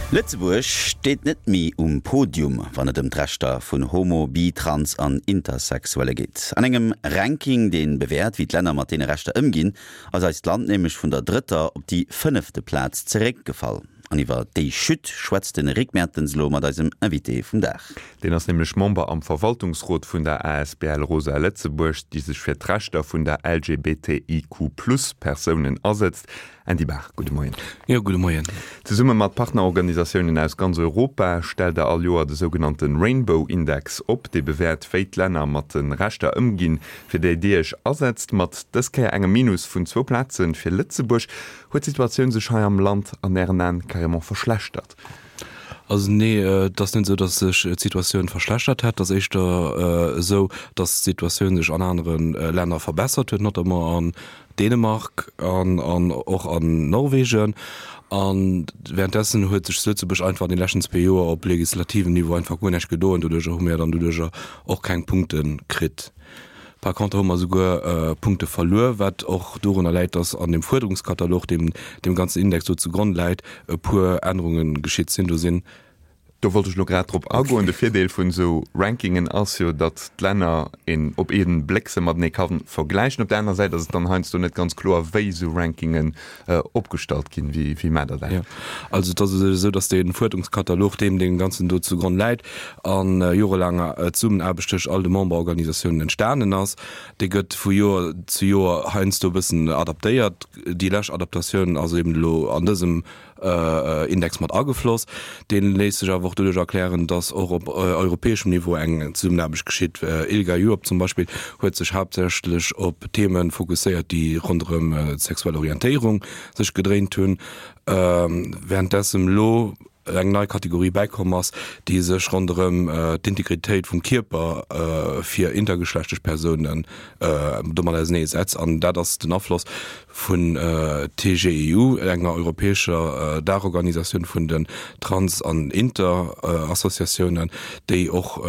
Lëtzebuerg steet net méi um Podium, wann et ëm d'Rechter vun Homo-, Bi-, Trans an Intersexuelle geet. An engem Ranking, dee bewäert, wéi d'Länner mat deene Rechter ëmginn, ass eist Land nämlech vun der drëtter op déi fënnefte Plaz zeréckgefall. An iwwer déi Chute schwätzt de Rick Mertens elo mat eisem Invité vum Dag. Deen ass nämlech Member am Verwaltungsrot vun der asbl Rosa Lëtzebuerg, déi sech fir d'Rechter vun der LGBTIQ-Plus-Persounen asëtzt. Andy Baach, gudde Moien. Jo, gudde Moien. Zesumme mat Partnerorganisatiounen aus ganz Europa stellt der all Joer de sougenannte Rainbow Index op, dee bewäert, wéi d'Länner mat de Rechter ëmginn, fir déi Dir Iech asetzt. Mat dës Kéier engem Minus vun zwou Plaze fir Lëtzebuerg. Huet d'Situatioun sech hei am Land an Ären Aen carrément verschlechtert? Also nee, et ass net esou, datt sech d'Situatioun verschlechtert hätt. Et ass éischter esou, datt d'Situatioun sech an anere Länner verbessert huet, notamment an Dänemark an an och an Norwegen. A währenddessen huet sech zu Lëtzebuerg einfach an de leschten zwee Joer op legislativem Niveau einfach guer näischt gedoen. Doduercher hu mir dann doduercher och keng Punkte kritt. Par contre hu mer souguer Punkte verluer, wat och dorunner läit, dass an dem Fuerderungskatalog, deem deem ganzen Index do zugronn läit, e puer Ännerunge geschitt sinn. Do sinn. Do wollt ech elo grad drop agoen. De Virdeel vun esou Rankingen ass jo, datt d'Länner een op ee Bléck se matenee ka vergläichen. Op där anerer Säit ass et dann heiansdo net ganz kloer, wéi esou Rankingen opgestallt ginn. Wéi maacht Der dat? Jo, also et ass esou, datt dee Fuerderungskatalog, deem deem Ganzen do zugronn läit, a jorelaanger Zesummenaarbecht tëscht all de Memberorganisatiounen entstanen ass. Dee gëtt vu Joer zu Joer heiansdo e bëssen adaptéiert. Déi lescht Adaptatioun ass eben elo an dësem Index mat agefloss. Dee léisst sech awer och doduerch erklären, datt och op europäeschem Niveau eng Zesummenaarbecht geschitt. ILGA Europe zum Beispill huet sech haaptsächlech op Theeme fokusséiert, déi ronderëm d'sexuell Orientéierung sech gedréint hunn, wärenddessen elo eng nei Kategorie bäikomm ass, déi sech ronderëm d'Integritéit vum Kierper fir intergeschlechtlech Persounen domat ausenee setzt. An dat ass den Afloss vun TGEU, enger europäescher Daachorganisatioun vun den Trans an Inter-Associatiounen, déi och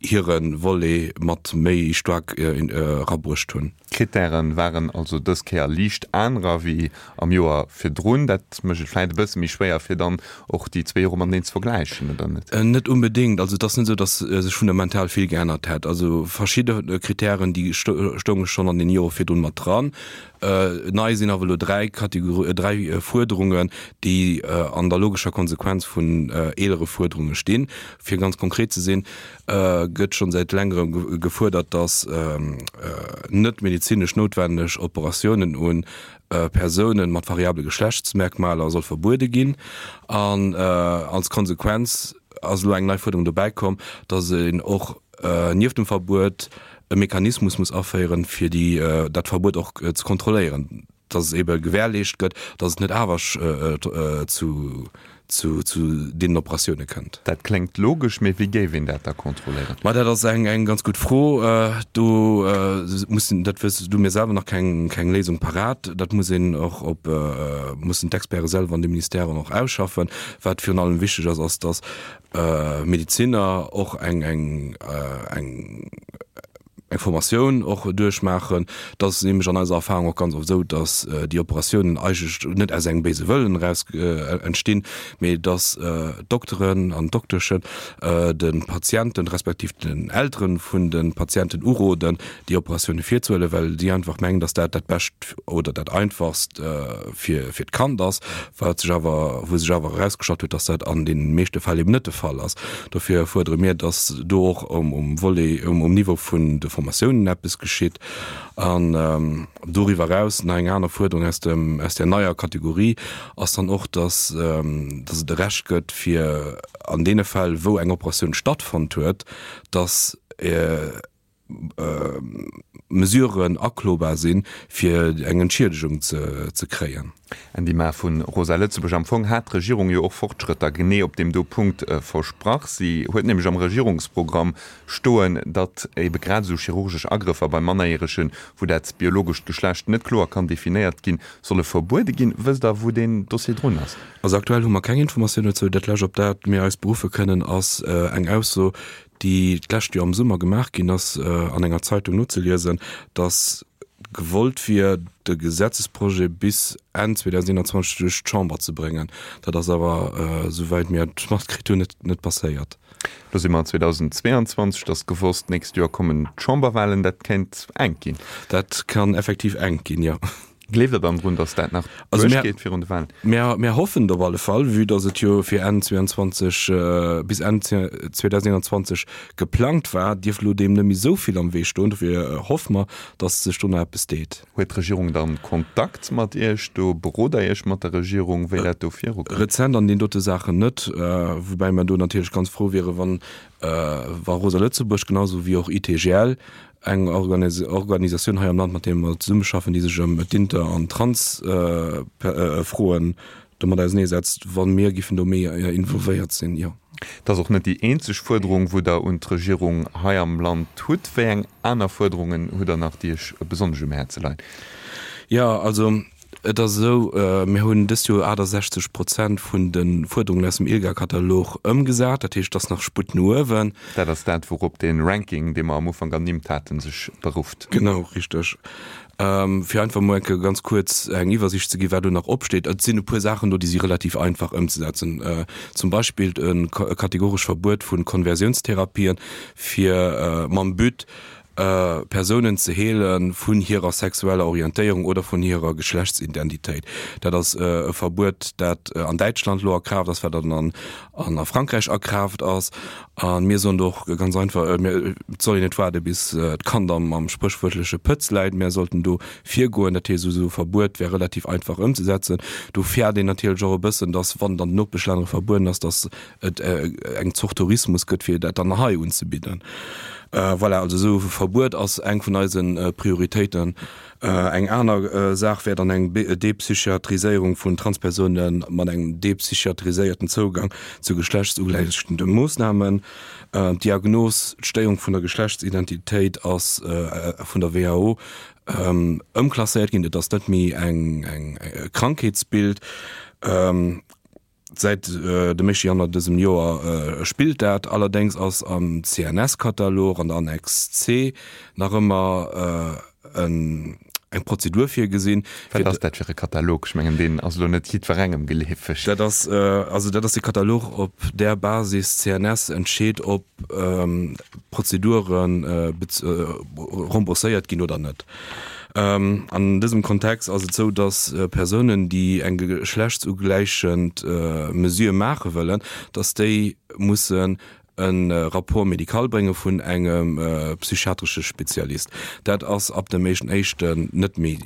hire Volet mat méi staark erabruecht hunn. D'Krittäre waren also dës Kéier liicht anerer wéi am Joer virdrun. Dat mécht et vläit e bësse méi schwéier, fir dann och déi zwee Jore mateneen ze vergläichen, oder net? Net unbedéngt. Also et ass net esou, datt sech fundamental vill geännert hätt. Also verschidde Krittären, déi stounge schonn an den Jore virdrun mat dran. Nei sinn awer elo dräi Kategor-, dräi Fuerderungen, déi an der logescher Konsequenz vun eelere Fuerderunge stinn. Fir ganz konkret ze sinn, gëtt schonn säit längerem gefuerdert, dass net medezinesch noutwenneg Operatiounen un Persounen mat variabele Geschlechtsmerkmaler soll verbuede ginn. An als Konsequenz ass elo eng nei Fuerderung dobäi komm, dass een och nieft dem Verbuet e Mechanismus muss aféieren, fir déi dat Verbuet och ze kontrolléieren. dass et ebe gewährleescht gëtt, dass et net awer zu zu deenen Operatioune kënnt. Dat kléngt logesch, mee wéi géif een dat da kontrolléieren? Ma dat ass eng eng ganz gutt Fro. Do mussen, dat wëss du mir selwer nach keng keng Léisung parat. Dat muss een och op mussen d'Experte selwer an de Ministèren och ausschaffen. Wat virun allem wichteg ass, ass dass Medezinner och eng eng eng eng Formatioun och duerchmaachen. Et ass nämlech an eiser Erfahrung och ganz oft esou, dass déi Operatiounen eigentlech net aus engem béise Wëllen eraus entstinn, mee dass d'Dokteren an d'Dokteschen de Patienten respektiv den Eltere vun de Patienten uroden, déi Operatioune virzehuelen, well si einfach mengen, dass dat dat Bescht oder dat Einfachst fir fir d'Kand ass, wat sech awer, wou sech awer erausgestallt huet, dass dat an deene meeschte Fäll eben net de Fall ass. Dofir fuerdere mir, dass do och um Volet, um Niveau vun de Formatiounen eppes geschitt. An doriwwer eraus nach eng aner Fuerderung aus dem, aus där neier Kategorie ass dann och, dass, dass et e Recht gëtt, fir an deene Fäll, wou eng Operatioun stattfonnt huet, dass, Mesuren aklobar sinn, fir eng Entschiedegung ze kréien. Andy Maar vu Rosa Lëtzebuerg, Am Fong hat d'Regierung jo och Fortschrëtter genee op deem do Punkt versprach. Si huet nämlech am Regierungsprogramm stoen, datt ebe grad esou chirurgesch Agrëffer bei Mannerjäregen, wou dat biologescht Geschlecht net kloer kann definéiert ginn, solle verbuede ginn. Wësst Der, wou deen Dossier drun ass? Also aktuell hu mer keng Informatioun dozou. Dat lescht, op dat mir eis beruffe kënnen, ass eng Ausso, déi d'lescht Joer am Summer gemaach ginn ass, an enger Zeitung nozeliesen, datt gewollt wier, de Gesetzesprojet bis Enn 2021 duerch d'Chamber ze bréngen. Dat ass awer, esouwäit mir et matkritt hunn, net passéiert. Lo si mer 2022, et ass gewosst, d'nächst Joer kommen d'Chamberwahlen. Dat kéint enk ginn. Dat kann effektiv enk ginn, jo. Gleeft Der dann drun, datt dat nach duerchgeet virun de Wahlen? Mir hoffen et op alle Fall, vue datt et jo fir Enn 22, bis Enn 2021 geplangt war, dierft elo deem net méi esou vill am Wee stoen. Dofir hoffe mer, datt sech do nach eppes deet. Huet d'Regierung dann Kontakt mat Iech do? Berot Der Iech mat der Regierung, wéi dat do virukënnt? Rezent an deenen dote Saachen net, woubäi mer do natierlech ganz frou wieren, wann wa Rosa Lëtzebuerg, genau esou wéi och ITGL, eng Organisatioun hei am Land, mat deene mer zesummeschaffen, déi sech ëm d'Inter an Trans-Froen domat auseneesetzt, wa mir giffen do méi involvéiert sinn, jo. Et ass och net déi eenzeg Fuerderung, wou Der un d'Regierung hei am Land hutt. Wéi eng aner Fuerderungen hutt Der nach, déi Iech besonnesch um Häerze leien? Jo, also Et ass esou, mir hunn dëst Joer 68 Prozent vun de Fuerderungen aus dem ILGA-Katalog ëmgesat. Dat heescht, et ass nach Sputt no uewen. Dat ass dat, wourop dee Ranking, dee mer am Ufank ernimmt haten, sech berufft. Genau, richteg. Fir einfach emol eng Kéier ganz kuerz eng Iwwersicht ze ginn, wat do nach opsteet. Et sinn e puer Saachen do, déi si relativ einfach ëmzesetzen. Zum Beispill e kategoresch Verbuet vu Konversiounstherapien, fir mam But, Persounen ze heele vun hirer sexueller Orientéierung oder vun hirer Geschlechtsidentitéit. Dat ass e Verbuet, dat an Däitschland elo a Kraaft ass, wat dann an a Frankräich a Kraaft ass. A mir soen do och ganz einfach, mir, et soll een net waarde bis d'Kand am am spréchwuertleche Pëtz läit, mä sollten do virgoen. Dat heescht, esou e Verbuet wär relativ einfach ëmzesetzen. Do fäert een natierlech och e bëssen, datt wann et an den Nopeschlänner verbueden ass, datt et eng Zort Tourismus gëtt, fir dat dann hei unzebidden. Voilà, also esou e Verbuet ass eng vun eise Prioritéiten. Eng aner Saach wär dann eng Depsychiatriséierung vun Transpersoune mat engem depsychiatriséierten Zougang zu geschlechtsugläichende Moossnamen. D'Diagnos, d'Stéierung vun der Geschlechtsidentitéit ass vun der WHO ëmklasséiert ginn. Et ass net méi eng e Krankheetsbild. Säit dem éischte Januar dësem Joer spillt dat. Allerdéngs ass am CNS-Katalog an der Annex C nach ëmmer eng Prozedur virgesinn. Wat ass dat fir e Katalog? Ech mengen, deen ass elo net jiddwerengem geleefeg. Dat ass also dat ass de Katalog, op där Basis d'CNS entscheet, ob Prozedure rembourséiert ginn oder net. An dësem Kontext ass et esou, dass Persounen, déi eng geschlechtsugläichend Mesure maache wëllen, dass déi mussen e Rapport médical brénge vun engem psychiatresche Spezialist. Dat ass ab dem éischten éischten net méi,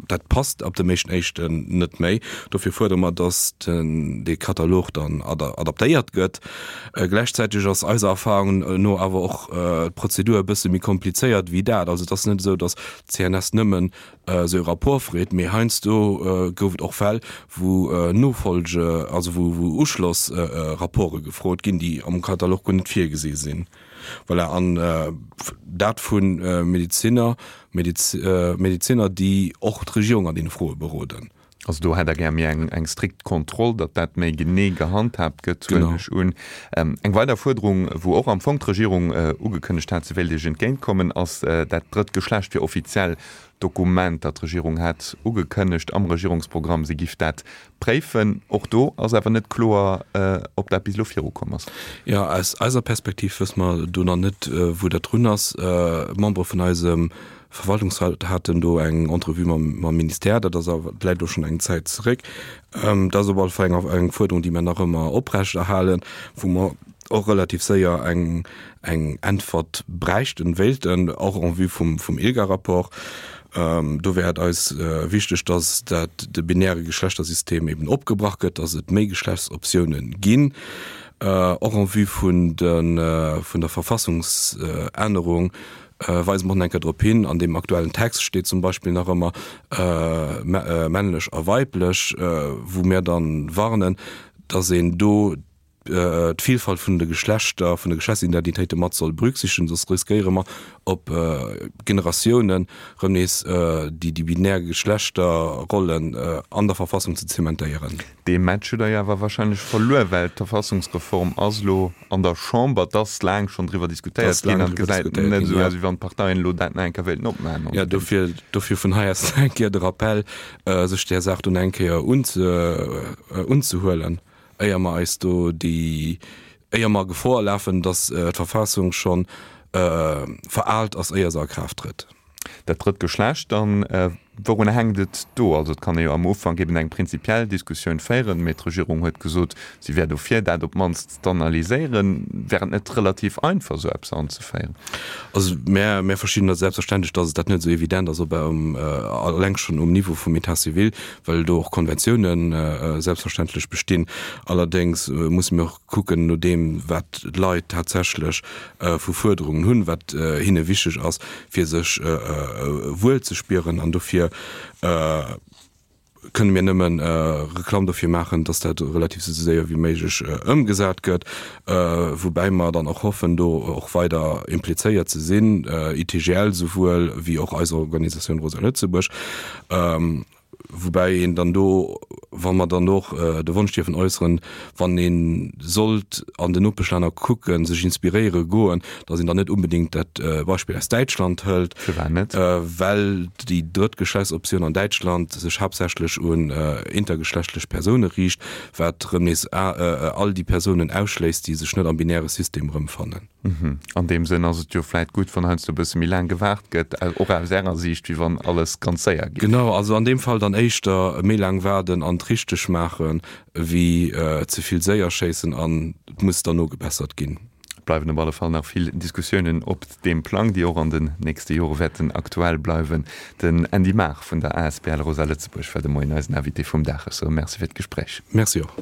dat passt ab dem éischten éischten net méi. Dofir fuerdere mer, dass dee Katalog dann adaptéiert gëtt. Gläichzäiteg ass eiser Erfahrung no awer och d'Prozedur e bësse méi komplizéiert wéi dat. Also et ass net esou, datt d'CNS nëmmen esou e Rapport freet, mee heiansdo gouf et och Fäll, wou Nofolge, also wou Uschlossrapporte gefrot ginn, déi am Katalog guer net virgesi sinn. Voilà, an dat vu Medezinner, Medezinner, déi och d'Regierung an deene Froe beroden. Also do hätt Der gär méi eng, eng strikt Kontroll, datt dat méi genee gehandhaabt gëtt, huelen ech un. Eng weider Fuerderung, wou och am Fong d'Regierung ugekënnegt hat, se wéilt Iech entgéintkommen, ass dat drëtt Geschlecht fir offiziell Dokumenter. D'Regierung hat ugekënnegt am Regierungsprogramm, se giff dat préifen. Och do ass awer net kloer, ob dat bis elo virukomm ass. Jo, aus eiser Perspektiv wësse mer do nach net, wou dat drun ass. Membere vun eisem Verwaltungsrat haten do eng Entrevue mam, mam Ministère, dat ass awer, läit elo schonn eng Zäit zeréck. Dat ass op alle Fall eng, eng Fuerderung, déi mir nach ëmmer oprechterhalen, wou mer och relativ séier eng, eng Äntwert bräichten, wéilten, och en vue vum, vum ILGA-Rapport. Do wär et eis wichteg, dass dat, de binäre Geschlechtersystem eben opgebrach gëtt, dass et méi Geschlechtsoptiounen ginn, och en vue vun de, vun der Verfassungsännerung, Weise mer och nach eng Kéier drop hin, an deem aktuellen Text steet zum Beispill nach ëmmer männlech a weiblech, wou mir dann warnen, dass een do. d'Vielfalt vun de Geschlechter, vun de Geschlechtsidentitéite mat soll berücksichtegen, soss riskéiere mer op Generatiounen erëm nees déi déi binär Geschlechterrollen an der Verfassung ze zementéieren. Dee Match hutt Der jo awer wahrscheinlech verluer, well d'Verfassungsreform ass elo an der Chamber. Et ass laang schonn driwwer diskutéiert ginn an et gesäit net esou aus, wéi wann d'Parteien elo dat nach eng Kéier wéilten opmaachen. Jo, dofir, dofir vun hei aus nach eng Kéier de Rappell, sech där Saach do nach eng Kéier unzehuelen, éier mer eis do déi, éier mer Gefor lafen, datt d'Verfassung schonn veraalt ass, éier se a Kraaft trëtt. Dat drëtt Geschlecht dann, wourunner hänkt et do? Also et kann ee jo am Ufank eben eng prinzipiell Diskussioun féieren, mee d'Regierung huet gesot, si wär dofir, dat op d'mannst z'analyséieren. Wär et net relativ einfach, esou eppes anzeféieren? Also mär, mär verstinn dat selbstverständlech, datt et dat net esou evident ass, op eleng schonn um Niveau vum État civil, well do och Konventiounen selbstverständlech bestinn. Allerdéngs musse mir och kucken, no deem wat d'Leit tatsächlech vu Fuerderungen hunn, wat hinne wichteg ass, fir sech wuel ze spieren. An dofir kënne mir nëmme Reklamm dofir maachen, dass dat relativ esou séier wéi méiglech ëmgesat gëtt, woubäi mer dann och hoffen, do och weider implizéiert ze sinn, ITGL souwuel wéi och eis Organisatioun Rosa Lëtzebuerg. Woubäi een dann do, wa mer dann och de Wonsch dierfen äusseren, wann ee sollt an den Nopeschlänner kucken, sech inspiréiere goen, datt een dann net unbedéngt dat Beispill aus Däitschland hëlt, Firwat net? well déi drëtt Geschlechtsoptioun an Däitschland sech haaptsächlech un intergeschlechtlech Persoune riicht, wat erëm nees all déi Persounen ausschléisst, déi sech net am binäre System erëmfannen. An deem Sënn ass et jo vläit gutt, wann heiansdo e bësse méi laang gewaart gëtt, och aus Ärer Siicht, wéi wann alles ganz séier geet. Genau, also an deem Fall dann éischter méi laang waarden an et richteg maachen, wéi ze vill séier schéissen an et muss dann nogebessert ginn. Et bleiwen op alle Fall nach vill Diskussiounen op deem Plang, déi och an den nächste Jore wäerten aktuell bleiwen. Den Andy Maar vun der asbl Rosa Lëtzebuerg war de Moien eisen Invité vum Dag. Ech soe Merci fir d'Gespréich. Merci och.